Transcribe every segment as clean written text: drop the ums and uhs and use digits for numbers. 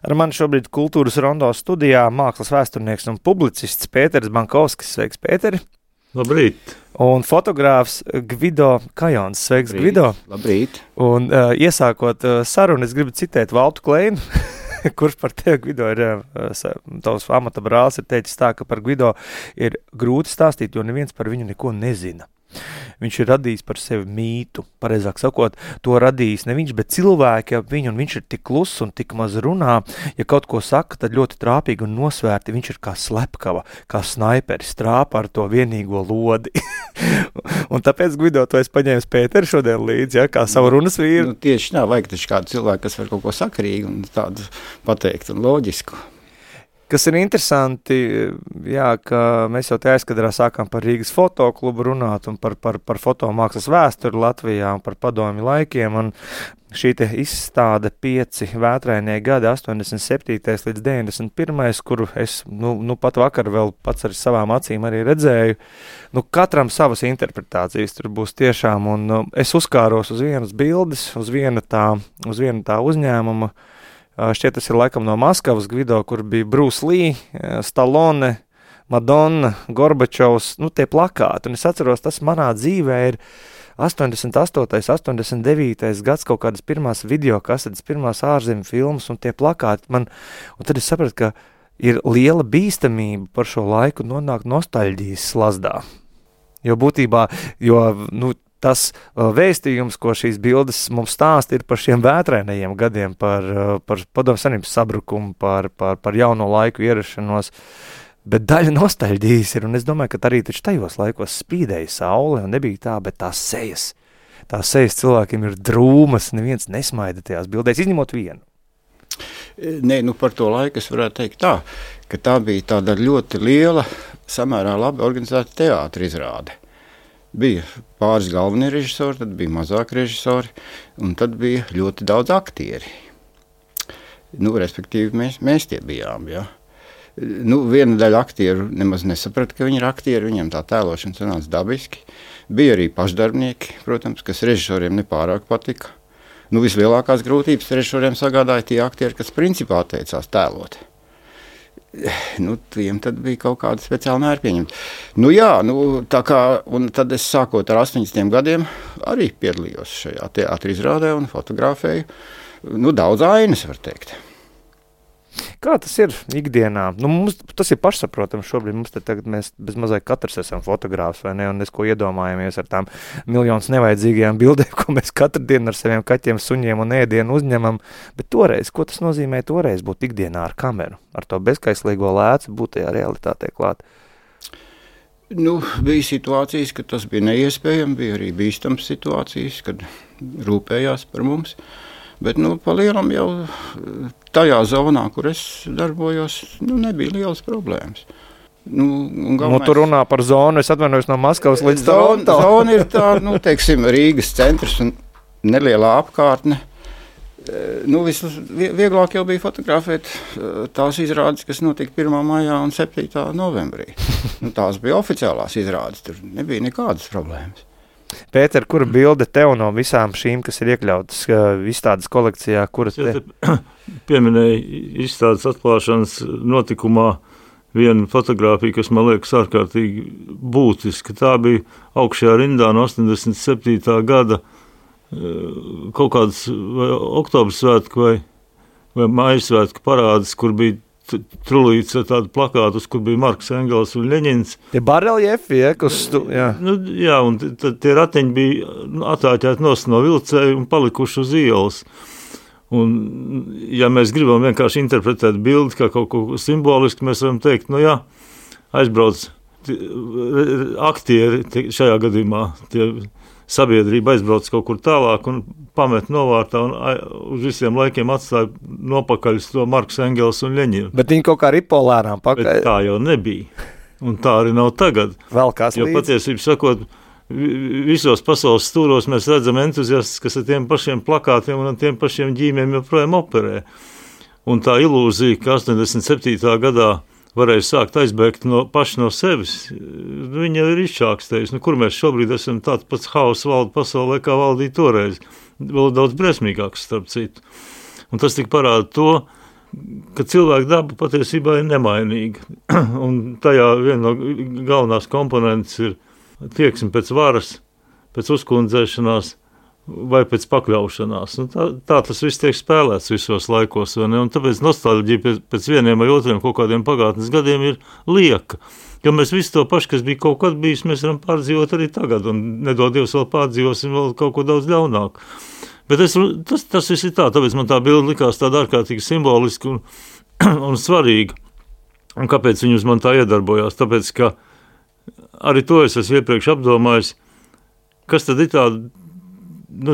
Ar mani šobrīd Kultūras rondo studijā mākslas vēsturnieks un publicists Pēteris Bankovskis. Sveiks, Pēteri! Labrīt! Un fotogrāfs Gvido Kajons. Sveiks, Labrīt. Gvido! Labrīt! Un iesākot sarunu, es gribu citēt Valtu Kleinu, kurš par tevi, Gvido, tavs amata brālis ir teicis tā, ka par Gvido ir grūti stāstīt, jo neviens par viņu neko nezina. Viņš ir radījis par sevi mītu, pareizāk sakot, to radījis ne viņš, bet cilvēki ap viņu, un viņš ir tik kluss un tik maz runā, ja kaut ko saka, tad ļoti trāpīgi un nosvērti, viņš ir kā slepkava, kā snaiperis, trāpa ar to vienīgo lodi. Un tāpēc, Gvido, tu esi paņēmis Pēteri šodien līdzi, ja, kā savu runas vīru. Nu, tieši tā, vajag taču kādu cilvēku, kas var kaut ko sakarīgi un tādu pateikt un loģisku. Kas ir interesanti, jā, ka mēs jau te aizkadrā sākām par Rīgas fotoklubu runāt un par fotomākslas vēsturi Latvijā un par padomju laikiem, un šī te izstāde 5 vētrainie gadi, 87. līdz 91. kuru es, pat vakar vēl pats ar savām acīm arī redzēju, katram savas interpretācijas tur būs tiešām, un es uzkāros uz vienas bildes, uz viena tā uzņēmuma. Šķiet, tas ir laikam no Maskavas, Gvido, kur bija Bruce Lee, Stallone, Madonna, Gorbačovs, tie plakāti. Un es atceros, tas manā dzīvē ir 88., 89. gads, kaut kādas pirmās videokasetes, pirmās ārzemju filmas un tie plakāti. Un tad es sapratu, ka ir liela bīstamība par šo laiku nonākt nostalģijas slazdā. Jo būtībā, tas vēstījums, ko šīs bildes mums stāsta, ir par šiem vētrainajiem gadiem, par Padomju Savienības sabrukumu, par jauno laiku ierašanos, bet daļa nostalģijas ir, un es domāju, ka arī taču tajos laikos spīdēja saule, un nebija tā, bet tās sejas cilvēkiem ir drūmas, neviens nesmaida tajās bildēs, izņemot vienu. Nē, par to laiku es varētu teikt tā, ka tā bija tāda ļoti liela, samērā labi organizēta teātra izrāde. Bija pāris galvenie režisori, tad bija mazāk režisori, un tad bija ļoti daudz aktieri. Respektīvi, mēs tie bijām, jā. Viena daļa aktieru nemaz nesaprata, ka viņi ir aktieri, viņiem tā tēlošana sanāca dabiski. Bija arī pašdarbnieki, protams, kas režisoriem nepārāk patika. Vislielākās grūtības režisoriem sagādāja tie aktieri, kas principā teicās tēlot. Tiem tad bija kaut kāda speciāla mēra pieņemta. Tā kā, un tad es sākot ar 80 gadiem arī piedalījos šajā teātra izrādē un fotografēju. Daudz ainas, var teikt. Kā tas ir ikdienā? Mums tas ir pašsaprotams šobrīd. Mums tagad mēs bez mazliet katrs esam fotogrāfs, vai ne? Un es ko iedomājamies ar tām miljonus nevajadzīgajām bildēm, ko mēs katru dienu ar saviem kaķiem, suņiem un ēdienu uzņemam. Bet toreiz, ko tas nozīmē toreiz būt ikdienā ar kameru? Ar to bezkaislīgo lēcu būt tajā realitātē klāt? Bija situācijas, ka tas bija neiespējami, bija arī bīstams situācijas, kad rūpējās par mums. Bet, pa lielam jau tajā zonā, kur es darbojos, nebija lielas problēmas. Tu runā par zonu, es atvainojos no Maskavas līdz Toronto. Zona ir tā, teiksim, Rīgas centrs un nelielā apkārtne. Vieglāk jau bija fotografēt tās izrādes, kas notika 1. maijā un 7. novembrī. Tās bija oficiālās izrādes, tur nebija nekādas problēmas. Pēter, kura bilde tev no visām šīm, kas ir iekļautas izstādes kolekcijā, kuras pieminēja izstādes atklāšanas notikumā vienu fotogrāfiju, kas man liekas ārkārtīgi būtiska. Tā bija augšējā rindā no 87. gada kaut kādas oktobra svētku vai mājas svētku parādes, kur bija trulīts ar tādu plakātu, kur bija Marks Engels un Ļeņins. Tie bareljefi, jā. Jā, un tad tie ratiņi bija attāķēti no vilcēju un palikuši uz ielas. Un, ja mēs gribam vienkārši interpretēt bildi kā kaut ko simbolisku, mēs varam teikt, aizbrauc aktieri, šajā gadījumā tie sabiedrība aizbrauc kaut kur tālāk un pamet novārtā un uz visiem laikiem atstāja nopakaļ to Marks Engels un Ļeņinu. Bet viņi kaut kā ripo lērām pakaļ. Bet tā jau nebija. Un tā arī nav tagad. Vēl kāds jo patiesību sakot, visos pasaules stūros mēs redzam entuziastus, kas ar tiem pašiem plakātiem un ar tiem pašiem ģīmiem joprojām operē. Un tā ilūzija, ka 87. gadā varēja sākt aizbēgt paši no sevis, viņa jau ir izčākstējusi. Kur mēs šobrīd esam tāds pats hauss valda pasaulē, kā valdīja toreiz. Vēl daudz briesmīgāks, starp citu. Un tas tik parāda to, ka cilvēka daba patiesībā ir nemainīga. Un tajā viena no galvenās komponentes ir tieksme pēc varas, pēc uzkundzēšanās vai pēc pakļaušanās. Un tā tas viss tiek spēlēts visos laikos, vai ne? Un tāpēc nostalģija pēc vieniem vai otriem kaut kādiem pagātnes gadiem ir lieka. Ja mēs visu to pašu, kas bija kaut kad bijis, mēs varam pārdzīvot arī tagad, un nedod Dievs vēl pārdzīvosim vēl kaut ko daudz ļaunāku. Bet tas viss ir tā, tāpēc man tā bilde likās tāda ārkārtīgi simboliska un svarīga. Un kāpēc viņi uz man tā iedarbojās? Tāpēc, ka arī to es esmu iepriekš apdomājis, kas tad ir tāda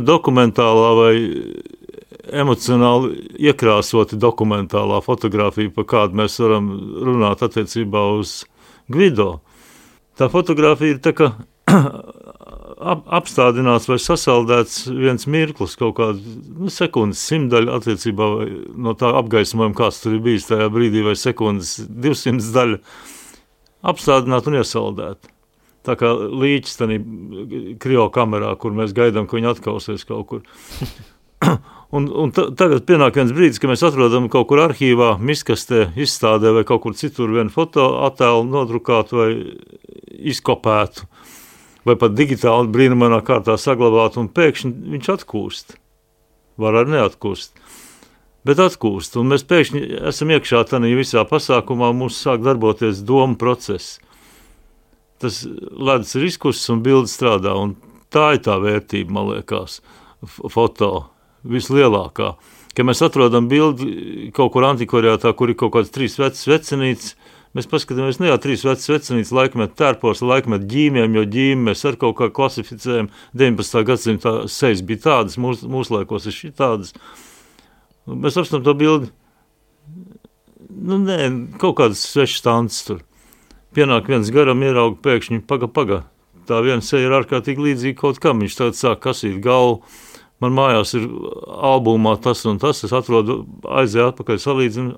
dokumentālā vai emocionāli iekrāsoti dokumentālā fotografija, par kādu mēs varam runāt attiecībā uz Gvido. Tā fotografija ir tā kā apstādināts vai sasaldēts viens mirklis, kaut kāda sekundes simtdaļa attiecībā no tā apgaismojuma, kāds tur ir bijis tajā brīdī, vai sekundes 200 daļa apstādināt un iesaldēt. Tā kā līķis tādā kryo kamerā, kur mēs gaidām, ka viņi atkausies kaut kur. un tagad pienāk viens brīdis, ka mēs atrodam kaut kur arhīvā, miskastē, izstādē vai kaut kur citur vienu fotoattēlu nodrukātu vai izkopētu, vai pat digitāli brīnumainā kārtā saglabātu, un pēkšņi viņš atkūst. Var arī neatkūst. Bet atkūst, un mēs pēkšņi esam iekšā tādā visā pasākumā, mums sāk darboties domu process. Tas ledus ir izkusts un bilde strādā, un tā ir tā vērtība, man liekas, foto vislielākā. Kad mēs atrodam bildi kaut kur antikvariātā, kur ir kaut kāds 3 vecas vecenītes, mēs paskatāmies, 3 vecas vecenītes laikmet tērpos, laikmet ģīmiem, jo ģīmi mēs ar kaut kā klasificējam. 19. gadsimta sejas bija tādas, mūsu laikos ir šitādas. Mēs apstam to bildi, kaut kādas svešas tances tur. Pienāk viens garam, ierauga pēkšņi, paga. Tā viena seja ir ārkārtīgi līdzīga kaut kam. Viņš tagad sāk kasīt galvu. Man mājās ir albumā tas un tas. Es atrodu, aizēju atpakaļ salīdzinu.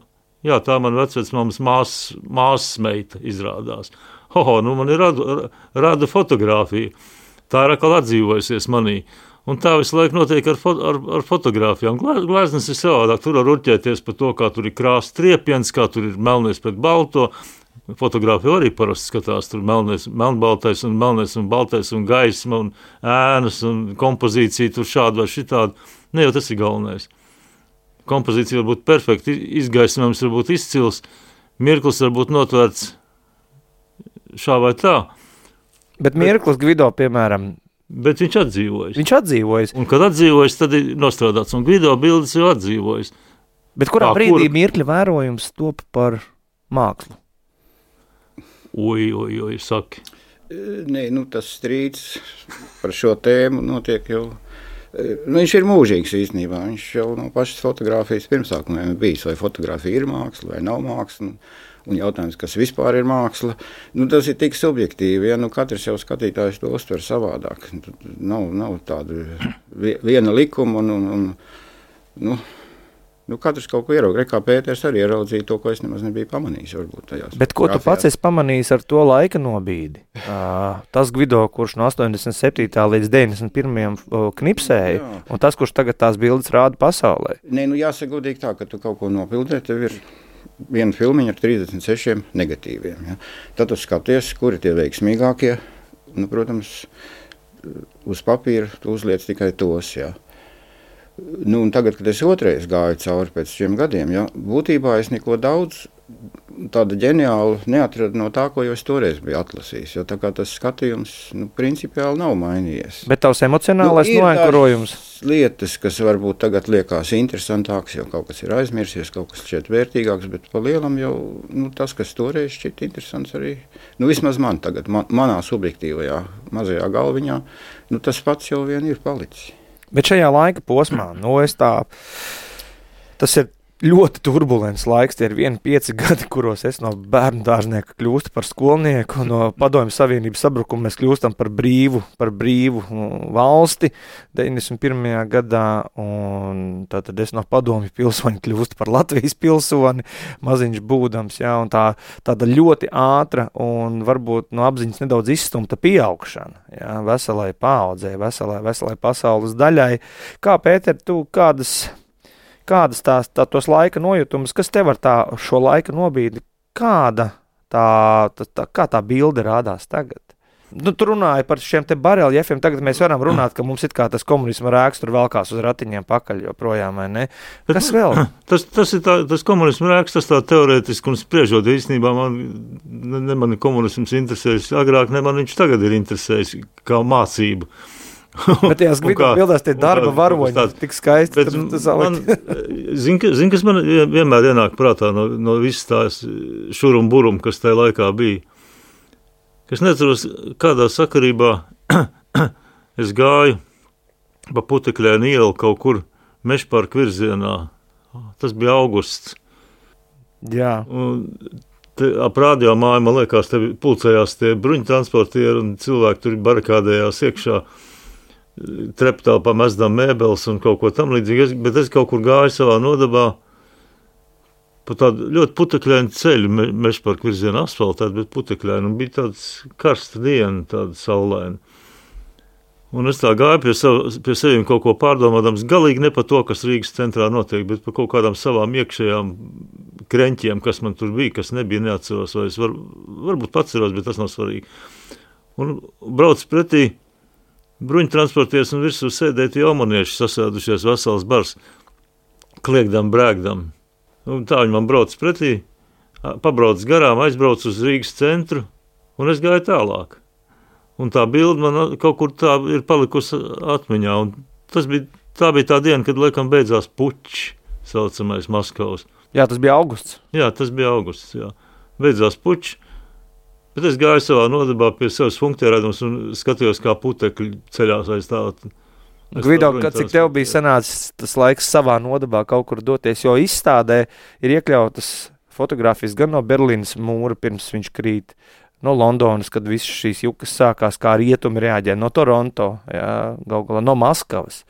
Jā, tā man vecvecmāmas māsas meita izrādās. Man ir rada fotografija. Tā ir atkal atdzīvojusies manī. Un tā visu laiku notiek ar fotogrāfijām. Gleznas ir savādāk. Tur var urķēties par to, kā tur ir krāsa triepiens, kā tur ir melnais pret balto. Fotogrāfija arī parasti skatās, tur melnbaltais un melnais un baltais un gaisma un ēnas un kompozīcija tur šāda vai šitāda. Ne jau tas ir galvenais. Kompozīcija var būt perfekta, izgaismojums var būt izcils, mirklis var būt notvērts šā vai tā. Bet mirklis Gvido, piemēram... Bet viņš atdzīvojas. Viņš atdzīvojas. Un kad atdzīvojas, tad ir nostrādāts, un Gvido bildes jau atdzīvojas. Bet kurā brīdī mirkļa vērojums top par mākslu? Oi, saki. Nē, tas strīds par šo tēmu notiek jau. Viņš ir mūžīgs īstenībā. Viņš jau no pašas fotogrāfijas pirmsākumiem ir bijis, vai fotogrāfija ir māksla vai nav māksla. Un jautājums, kas vispār ir māksla, tas ir tik subjektīvi. Ja? Katrs jau skatītājs to uztver savādāk. Nav tāda viena likuma un katrs kaut ko ierauga. Kā Pēters arī ieraudzīja to, ko es nemaz nebiju pamanījis. Bet ko tu pats esi pamanījis ar to laika nobīdi? Tas Gvido, kurš no 87. līdz 91. knipsēja, un tas, kurš tagad tās bildes rāda pasaulē. Jāsaka godīgi tā, ka tu kaut ko nopildē, tev ir viena filmiņa ar 36 negatīviem. Ja? Tad tu skaties, kuri tie veiksmīgākie. Protams, uz papīra tu uzliec tikai tos, jā. Un tagad, kad es otrais gāju cauri pēc šiem gadiem, būtībā es neko daudz tāda ģeniāla neatradu no tā, ko jau es toreiz biju atlasījis, jo tā kā tas skatījums, principiāli nav mainījies. Bet tavs emocionālais noenkurojums? Ir lietas, kas varbūt tagad liekas interesantāks, jo kaut kas ir aizmirsies, kaut kas šķiet vērtīgāks, bet pa lielam jau tas, kas toreiz šķiet interesants arī, vismaz man tagad, manā subjektīvajā mazajā galviņā, tas pats jau vien ir palicis. Bet šajā laika posmā, tas ir ļoti turbulents laiks, tie ir 5 gadi, kuros es no bērnu dārznieka kļūstu par skolnieku, un no Padomju Savienības sabrukuma mēs kļūstam par brīvu valsti 91. gadā, un tad es no Padomju pilsoņa kļūstu par Latvijas pilsoni, maziņš būdams, un tāda ļoti ātra un varbūt no apziņas nedaudz izstumta pieaugšana, veselai paaudzei, veselai pasaules daļai. Kā, Pēter, tu kādas kādas tos laika nojutumus, kas tev ar šo laika nobīdi, kā tā bilde rādās tagad? Tu runāji par šiem te bareljefiem, tagad mēs varam runāt, ka mums it kā tas komunisma rēks tur velkās uz ratiņiem pakaļ joprojām, vai ne? Kas vēl? Tas komunisma rēks, tas tā teorētiski un spriežot, īstenībā man komunisms interesēs agrāk, man viņš tagad ir interesējis kā mācība. Bet tajās bildēs tie darba varoņi tik skaisti. Zin, kas man vienmēr ienāk prātā no visas tās šurum burum, kas tajā laikā bija. Es neceros, kādā sakarībā es gāju pa Putekļēnu ielu kaut kur Mežparka virzienā. Tas bija augusts. Jā. Ap radio māju, man liekas, te pulcējās tie bruņtransportieri un cilvēki tur barakādējās iekšā, treptelpā mezdām mēbeles un kaut ko tam līdzīgi. Bet es kaut kur gāju savā nodabā pa tādu ļoti putekļainu ceļu, Mežparka virzienā asfaltēt, bet putekļainu, un bija tāds karsta diena, tāda saulaina. Un es tā gāju pie seviem kaut ko pārdomādams, galīgi ne par to, kas Rīgas centrā notiek, bet par kaut kādām savām iekšējām kreņķiem, kas man tur bija, kas nebija, neatceros, vai es varbūt atceros, bet tas nav svarīgi. Un brauc pretī bruņtransporties un virsū sēdēt jaumanieši sasēdušies vesels bars, kliegdam, brēgdam. Un tā viņi man brauc pretī, pabrauc garām, aizbrauc uz Rīgas centru, un es gāju tālāk. Un tā bilde man kaut kur tā ir palikusi atmiņā, un tā bija tā diena, kad laikam beidzās pučs, saucamais Maskavas. Jā, tas bija augusts. Jā, tas bija augusts, jā. Beidzās pučs, bet es gāju savā nodabā pie sevis funkcionēdams un skatījos, kā putekļi ceļās aiz tā. Gvido, cik tev bija sanācis tas laiks savā nodabā kaut kur doties, jo izstādē ir iekļautas fotogrāfijas gan no Berlīnas mūra, pirms viņš krīt, no Londonas, kad visas šīs jukas sākās, kā rietumi reaģē, no Toronto, jā, galā no Maskavas.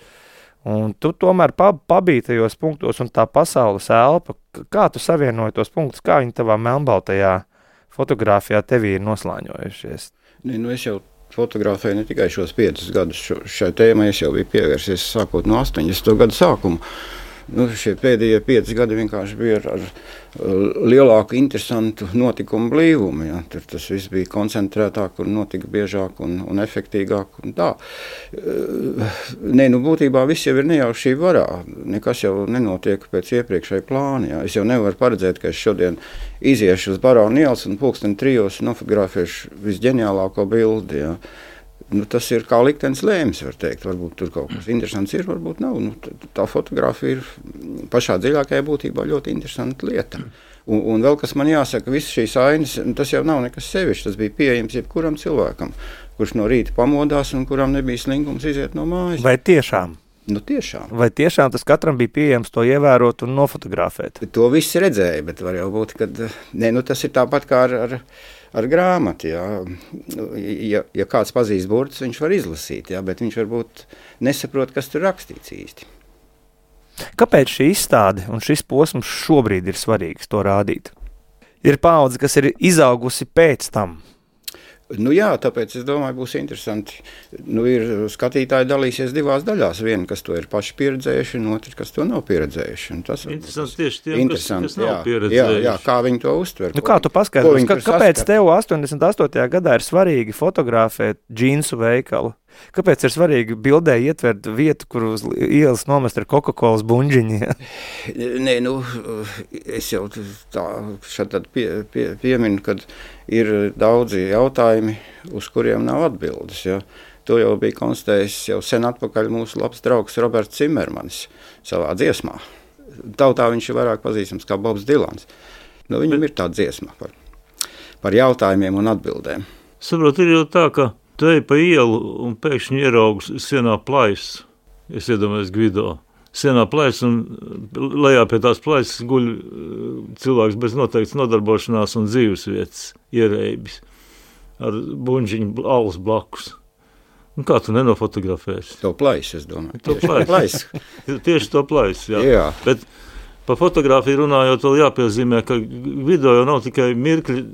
Un tu tomēr pabīji tajos punktos un tā pasaules elpa, kā tu savienoji tos punktus, kā viņi tavā melnbaltajā fotogrāfijā tevī ir noslāņojušies? Es jau fotografēju ne tikai šos 5 gadus, šai tēmai es jau biju pievērsies sākot no 80. gadu sākuma. Šie pēdējie 5 gadi vienkārši bija ar lielāku interesantu notikumu blīvumu. Ja. Tur tas viss bija koncentrētāk un notika biežāk un efektīgāk. Un tā. Būtībā viss jau ir nejaušība varā. Nekas jau nenotiek pēc iepriekšēja plāna. Ja. Es jau nevaru paredzēt, ka es šodien iziešu uz Barona ielas un 3:00 nofotografēšu visģeniālāko bildi. Ja. Tas ir kā liktenis lēms, var teikt. Varbūt tur kaut kas interesants ir, varbūt nav. Tā fotografija ir pašā dziļākajā būtībā ļoti interesanta lieta. Un vēl kas man jāsaka, visas šīs ainas, tas jau nav nekas sevišķs. Tas bija pieejams jebkuram cilvēkam, kurš no rīta pamodās un kuram nebija slinkums iziet no mājas. Vai tiešām? Tiešām. Vai tiešām tas katram bija pieejams to ievērot un nofotografēt? To visi redzēja, bet var jau būt, ka tas ir tāpat kā ar grāmatu. Ja kāds pazīst burtus, viņš var izlasīt, bet viņš varbūt nesaprot, kas tur rakstīts īsti. Kāpēc šī izstāde un šis posms šobrīd ir svarīgs to rādīt? Ir paudze, kas ir izaugusi pēc tam. Tāpēc es domāju, būs interesanti. Ir skatītāji dalīsies 2 daļās. Viena, kas to ir paši pieredzējuši, un otra, kas to nav pieredzējuši. Tas interesanti tieši tiem, kas nav pieredzējuši. Jā, kā viņi to uztver. Kā tu paskaidros, kāpēc tev 88. gadā ir svarīgi fotografēt džinsu veikalu? Kāpēc ir svarīgi bildē ietvert vietu, kur uz ielas nomest ar Coca-Colas buņģiņi? Es jau šādi pieminu, kad ir daudzi jautājumi, uz kuriem nav atbildes. Ja. To jau bija konstatējis jau sen atpakaļ mūsu labs draugs Roberts Cimermanis savā dziesmā. Tautā viņš ir vairāk pazīstams kā Bobs Dilans. Viņam ir tā dziesma par jautājumiem un atbildēm. Saprot, ir jau tā, ka tu ej pa ielu un pēkšņi ieraugi sienā plaisu. Es iedomājos Gvido. Sienā plaisu un lejā pie tās plaisas guļ cilvēks bez noteikts nodarbošanās un dzīvesvietas ierēbis ar buņģiņu alus blakus. Un kā tu nenofotografēsi? To plaisu, es domāju. To plaisu. Tieši to plaisu, jā. Jā. Bet par fotografiju runājot, vēl jāpiezīmē, ka Gvido jau nav tikai mirkļi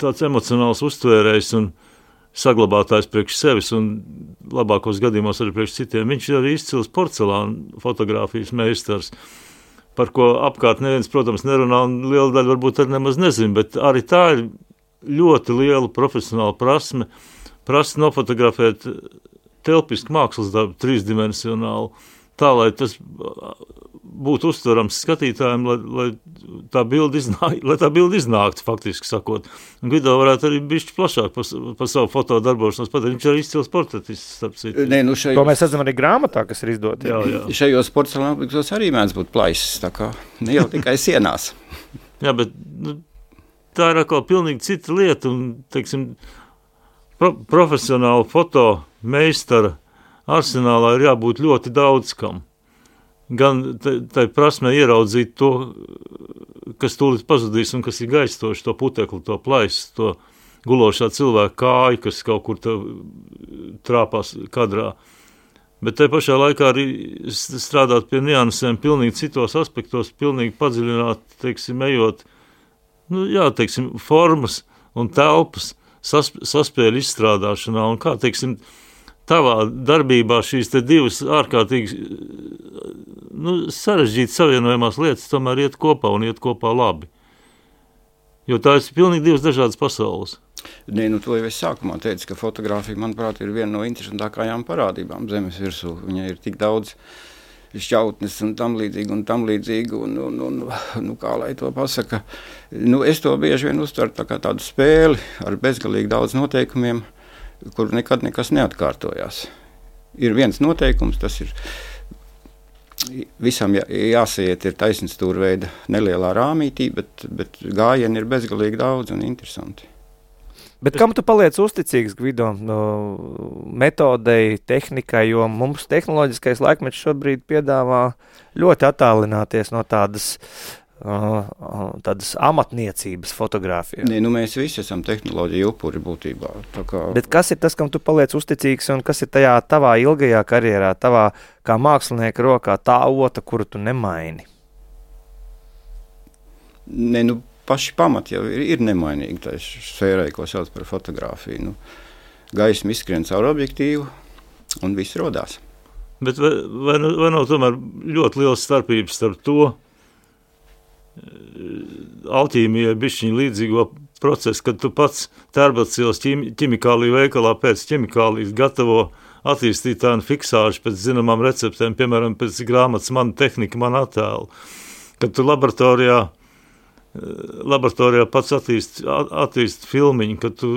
tāds emocionāls uztvērējs un saglabātājs priekš sevis un labākos gadījumos arī priekš citiem. Viņš ir arī izcils porcelāna fotogrāfijas meistars, par ko apkārt neviens, protams, nerunā un liela daļa varbūt arī nemaz nezin, bet arī tā ir ļoti liela profesionāla prasme nofotografēt telpisku mākslas darbu, trīsdimensionālu, tā, lai tas būtu uztverams skatītājiem, lai tā bilde iznāktu, faktiski sakot. Un Gvido varētu arī bišķi plašāk par savu fotodarbošanos pateikt. Viņš arī izcils portretists, starp citu. To mēs redzam arī grāmatā, kas ir izdota. Jā. Šajos porcelāna objektos arī mēdz būt plaisas, tā kā ne jau tikai sienās. Jā, bet tā ir atkal pilnīgi cita lieta, un, teiksim, profesionāla fotomeistara arsenālā ir jābūt ļoti daudz kam. Gan tai prasmē ieraudzīt to, kas tūlīt pazudīs un kas ir gaistoši, to putekli, to plaisu, to gulošā cilvēka kāju, kas kaut kur trāpās kadrā. Bet tai pašā laikā arī strādāt pie niansēm pilnīgi citos aspektos, pilnīgi padziļināt, teiksim, ejot, formas un telpas saspēļu izstrādāšanā un kā, teiksim, tavā darbībā šīs te divas ārkārtīgi sarežģītas savienojamās lietas tomēr iet kopā un iet kopā labi. Jo tā ir pilnīgi divas dažādas pasaules. Nē, to jau es sākumā teicu, ka fotogrāfija, manuprāt, ir viena no interesantākajām parādībām zemes virsū. Viņai ir tik daudz šķautnes un tam līdzīgi, un kā lai to pasaka. Es to bieži vien uztveru tā kā tādu spēli ar bezgalīgi daudz noteikumiem, kur nekad nekas neatkārtojās. Ir viens noteikums, tas ir visam jāsaiet ir taisnstūra veida nelielā rāmītī, bet gājieni ir bezgalīgi daudz un interesanti. Bet kam tu paliec uzticīgs, Gvido, metodei, tehnikai, jo mums tehnoloģiskais laikmets šobrīd piedāvā ļoti attālināties no tādas amatniecības fotogrāfijā. Mēs visi esam tehnoloģiju upuri būtībā. Bet kas ir tas, kam tu paliec uzticīgs, un kas ir tajā tavā ilgajā karjerā, tavā kā mākslinieka rokā, tā ota, kuru tu nemaini? Paši pamati jau ir nemainīgi tā sfērai, ko sauc par fotogrāfiju. Gaisma izskrien caur objektīvu, un viss rodās. Bet vai nav tomēr ļoti liels starpības starp to alķīmijai bišķiņu līdzīgo procesu, kad tu pats tērbacīlas ķimikāliju veikalā pēc ķimikālijas gatavo attīstītāju fiksāžu pēc zināmām receptēm, piemēram, pēc grāmatas mana tehnika, mana attēlu. Kad tu laboratorijā pats attīst filmiņu, kad tu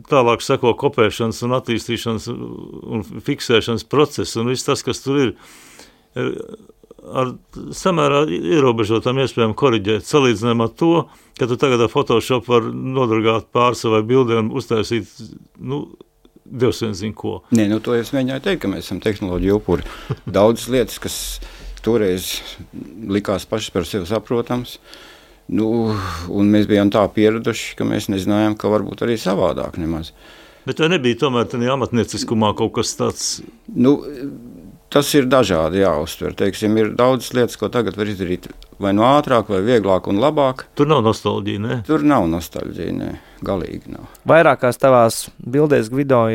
tālāk seko kopēšanas un attīstīšanas un fiksēšanas procesu, un viss tas, kas tur ir ar samērā ierobežotām iespējām koriģēt, salīdzinājumā to, ka tu tagad ar Photoshop var nodragāt pār savai bildē un uztaisīt, Dievs vien zina ko. To es mēģināju teikt, ka mēs esam tehnoloģiju upuri. Daudzas lietas, kas toreiz likās pašas par sevi saprotams, un mēs bijām tā pieraduši, ka mēs nezinājām, ka varbūt arī savādāk nemaz. Bet vai nebija tomēr tādā amatnieciskumā kaut kas tāds? Tas ir dažādi jāuztver. Teiksim, ir daudzas lietas, ko tagad var izdarīt vai ātrāk, vai vieglāk un labāk. Tur nav nostalģija, ne? Tur nav nostalģija, ne. Galīgi nav. Vairākās tavās bildēs, Gvido,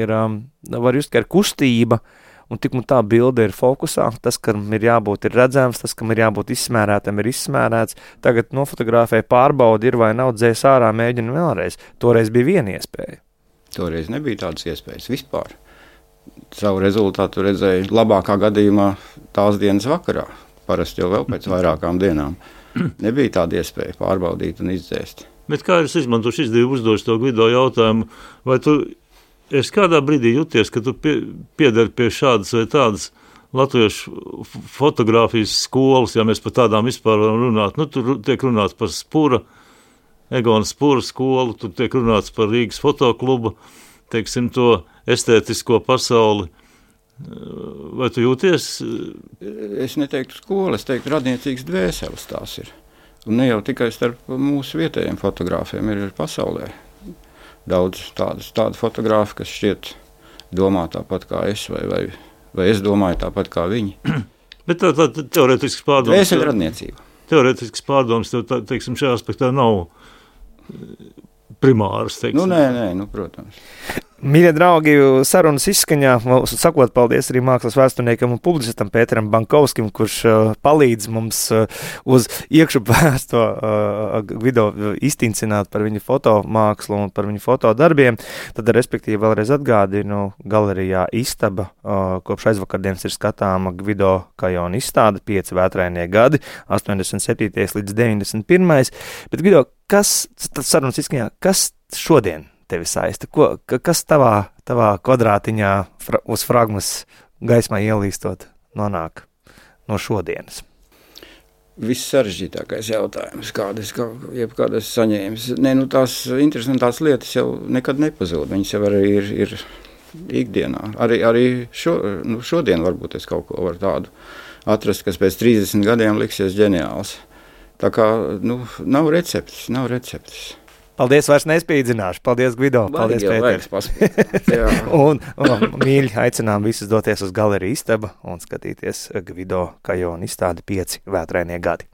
var just, ka ir kustība, un tik un tā bilde ir fokusā. Tas, kam ir jābūt, ir redzams, tas, kam ir jābūt izsmērētam, ir izsmērēts. Tagad nofotografē pārbaudi ir vai nav, dzēs ārā, mēģina vēlreiz. Toreiz bija viena iespēja. Toreiz nebija tādas iespējas vispār. Savu rezultātu redzēju labākā gadījumā tās dienas vakarā. Parasti jau vēl pēc vairākām dienām. Nebija tāda iespēja pārbaudīt un izdzēst. Bet kā es izmantošu izdevību uzdošu to Gvido jautājumu, vai tu esi kādā brīdī jūties, ka tu piedari pie šādas vai tādas latviešu fotogrāfijas skolas, ja mēs par tādām vispār varam runāt? Tur tiek runāts par Spura, Egona Spura skolu, tur tiek runāts par Rīgas fotoklubu, teiksim, to estētisko pasauli. Vai tu jūties? Es neteiktu skolu, es teiktu radniecīgas dvēseles tās ir. Un ne jau tikai starp mūsu vietējiem fotogrāfiem ir pasaulē. Daudz tādu fotogrāfu, kas šķiet domā tāpat kā es, vai es domāju tāpat kā viņi. Bet tā teorētisks pārdoms. Dvēseli radniecība. Teorētisks pārdoms, teiksim, šajā aspektā nav primāras, teiksim. Nē, protams. Mīļie draugi, sarunas izskaņā, sakot paldies arī mākslas vēsturniekam un publicistam Pēteram Bankovskim, kurš palīdz mums uz iekšu vēsto Gvido iztincināt par viņa fotomākslu un par viņa fotodarbiem. Tad, respektīvi, vēlreiz atgādinu, galerijā Istaba kopš aizvakardienas ir skatāma Gvido Kajona izstāde 5 vētrainie gadi, 87. līdz 91. Bet, Gvido, kas sarunas izskaņā, kas šodien tevi saista? Kas tavā kvadrātiņā uz fragmas gaismā ielīstot nonāk no šodienas? Viss sarežģītākais jautājums, jebkādas saņēmis. Tās interesantās lietas jau nekad nepazūd. Viņas jau arī ir ikdienā. Arī šodien varbūt es kaut ko varu tādu atrast, kas pēc 30 gadiem liksies ģeniāls. Tā kā, nav receptes. Paldies, vairs nespīdzināšu. Paldies, Gvido. Paldies, Pēter. un mīļi, aicinām visus doties uz galeriju Istaba un skatīties Gvido Kajona izstādi 5 vētrainie gadi.